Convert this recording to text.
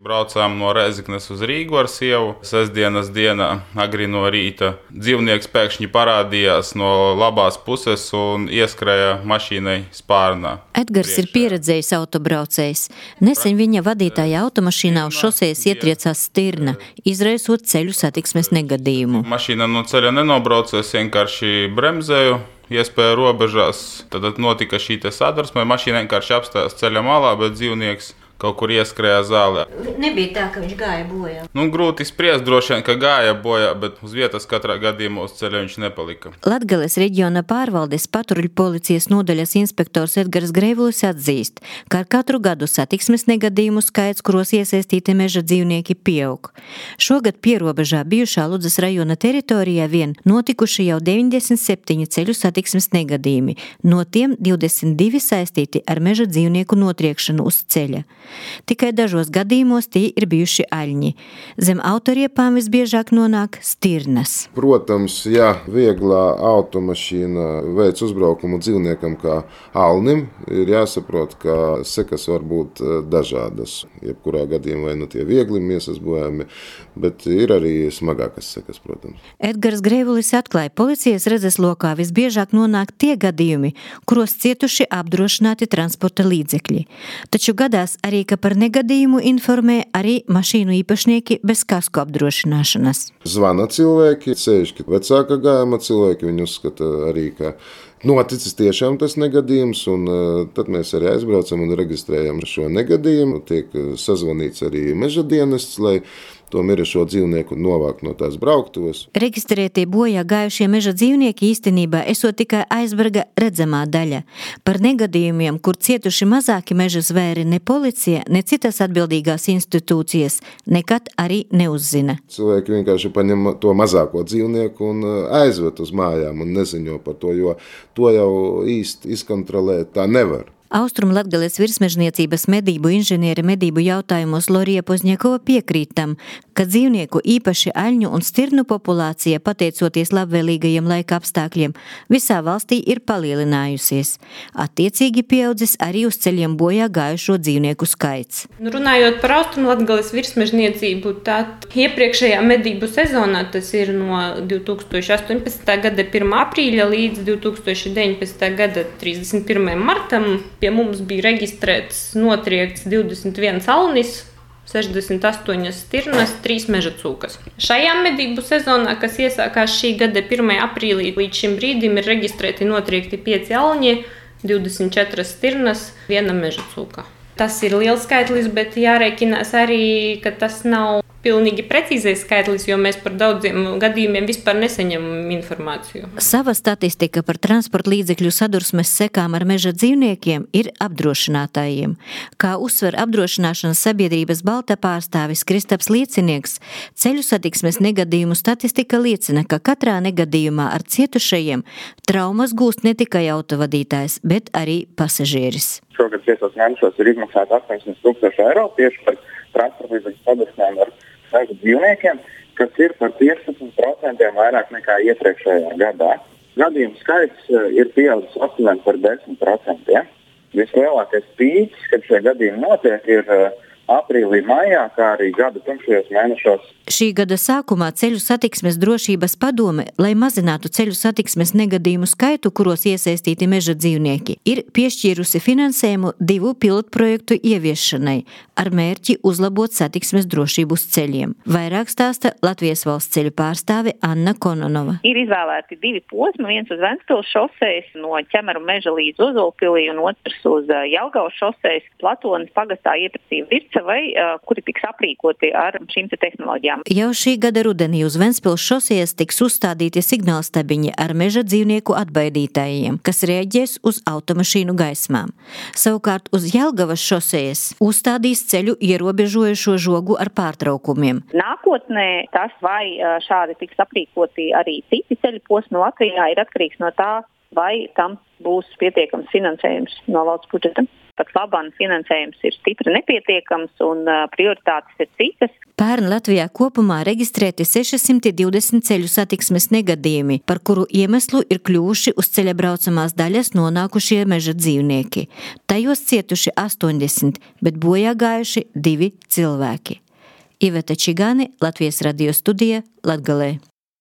Braucām no Rēzeknes uz Rīgu ar sievu. Sestdienas dienā agri no rīta dzīvnieks pēkšņi parādījās no labās puses un ieskrēja mašīnai spārnā. Edgars ir pieredzējis autobraucējs. Nesen viņa vadītāja automašīnā uz šosejas ietriecās stirna, izraisot ceļu satiksmes negadījumu. Mašīna no ceļa nenobrauca, es vienkārši bremzēju. Iespēja robežās, tad notika šī sadursme. Mašīna vienkārši apstājās ceļa malā, bet dzīvnieks kaut kur ieskrēja zālē. Nebija tā, ka viņš gāja bojā. Grūti spriest, droši vien, ka gāja bojā, bet uz vietas katrā gadījumā uz ceļa viņš nepalika. Latgales reģiona pārvaldes patruļu policijas nodaļas inspektors Edgars Greivulis atzīst, ka ar katru gadu satiksmes negadījumu skaits, kuros iesaistīti meža dzīvnieki, pieaug. Šogad pierobežā bijušā Ludzas rajona teritorijā vien notikuši jau 97 ceļu satiksmes negadījumi, no tiem 22 saistīti ar meža dzīvnieku notriekšanu uz ceļa. Tikai dažos gadījumos tie ir bijuši aļņi. Zem autoriepām visbiežāk nonāk stirnas. Protams, ja vieglā automašīna veic uzbraukumu dzīvniekam kā alnim, ir jāsaprot, ka sekas var būt dažādas. Jebkurā gadījumā vai tie viegli miesas bojājumi, bet ir arī smagākas sekas, protams. Edgars Greivulis atklāja, policijas redzeslokā visbiežāk nonāk tie gadījumi, kuros cietuši apdrošināti transporta līdzekļi. Taču gadās arī, ka par negadījumu informē arī mašīnu īpašnieki bez kasko apdrošināšanas. Zvana cilvēki, sevišķi vecāka gājuma cilvēki, viņi uzskata arī, ka noticis tiešām tas negadījums, un tad mēs arī aizbraucam un reģistrējam šo negadījumu. Tiek sazvanīts arī meža dienests, lai to mirušo dzīvnieku novākt no tās brauktuves. Reģistrētie bojā gājušie meža dzīvnieki īstenībā esot tikai aizberga redzamā daļa. Par negadījumiem, kur cietuši mazāki meža zvēri, ne policija, ne citas atbildīgās institūcijas nekad arī neuzzina. Cilvēki vienkārši paņem to mazāko dzīvnieku un aizved uz mājām un neziņo par to, jo to jau īsti izkontrolēt tā nevar. Austrumlatgales virsmežniecības medību inženiere medību jautājumos Lorija Pozņakova piekrīt tam, ka dzīvnieku īpaši aļņu un stirnu populācija, pateicoties labvēlīgajiem laika apstākļiem, visā valstī ir palielinājusies. Attiecīgi pieaudzis arī uz ceļiem bojā gājušo dzīvnieku skaits. Runājot par Austrumlatgales virsmežniecību, tad iepriekšējā medību sezonā, tas ir no 2018. gada 1. aprīļa līdz 2019. gada 31. martam, pie mums bija reģistrēts notriekts 21 alnis, 68 stirnas, 3 meža cūkas. Šajā medību sezonā, kas iesākās šī gada 1. aprīlī, līdz šim brīdim ir reģistrēti notriekti 5 alņi, 24 stirnas, 1 meža cūka. Tas ir liels skaitlis, bet jārēķinās arī, ka tas nav pilnīgi precīzais skaitlis, jo mēs par daudziem gadījumiem vispār nesaņemam informāciju. Sava statistika par transporta līdzekļu sadursmes sekām ar meža dzīvniekiem ir apdrošinātājiem. Kā uzsver apdrošināšanas sabiedrības Balta pārstāvis Kristaps Liecinieks, ceļu satiksmes negadījumu statistika liecina, ka katrā negadījumā ar cietušajiem traumas gūst ne tikai autovadītājs, bet arī pasažieris. Šogad 5 mēnešos ir izmaksāta 800,000 eiro tieši par transporta līdzekļu sadursmēm ar meža dzīvniekiem, kas ir par 15% vairāk nekā iepriekšējā gadā. Gadījumu skaits ir pieaudzis aptuveni par 10%. Vislielākais pīķis, kad šie gadījumi notiek, ir aprīlī, maijā, kā arī gada tumšajos mēnešos. Šī gada sākumā Ceļu satiksmes drošības padome, lai mazinātu ceļu satiksmes negadījumu skaitu, kuros iesaistīti meža dzīvnieki, ir piešķīrusi finansējumu 2 pilotprojektu ieviešanai ar mērķi uzlabot satiksmes drošību uz ceļiem. Vairāk stāsta Latvijas valsts ceļu pārstāve Anna Kononova. Ir izvēlēti 2 posmi, viens uz Ventspils šosejas no Ķemeru meža līdz Ozolpilī un otrs uz Jelgavas šosejas Platonas pagastā iepratība vircavai, kuri tiks aprīkoti ar šīm tehnoloģijām. Jau šī gada rudenī uz Ventspils šosejas tiks uzstādīti signālstabiņi ar meža dzīvnieku atbaidītājiem, kas rēģēs uz automašīnu gaismām. Savukārt uz Jelgavas šosejas uzstādīs ceļu ierobežojušo žogu ar pārtraukumiem. Nākotnē tas, vai šādi tiks aprīkoti arī citi ceļu posmi Latvijā, ir atkarīgs no tā, vai tam būs pietiekams finansējums no valsts budžeta. Pat labāk finansējums ir stipri nepietiekams un prioritātes ir citas. Pērn Latvijā kopumā reģistrēti 620 ceļu satiksmes negadījumi, par kuru iemeslu ir kļuvuši uz ceļa braucamās daļas nonākušie meža dzīvnieki. Tajos cietuši 80, bet bojā gājuši 2 cilvēki. Iveta Čigāne, Latvijas radio studija, Latgalē.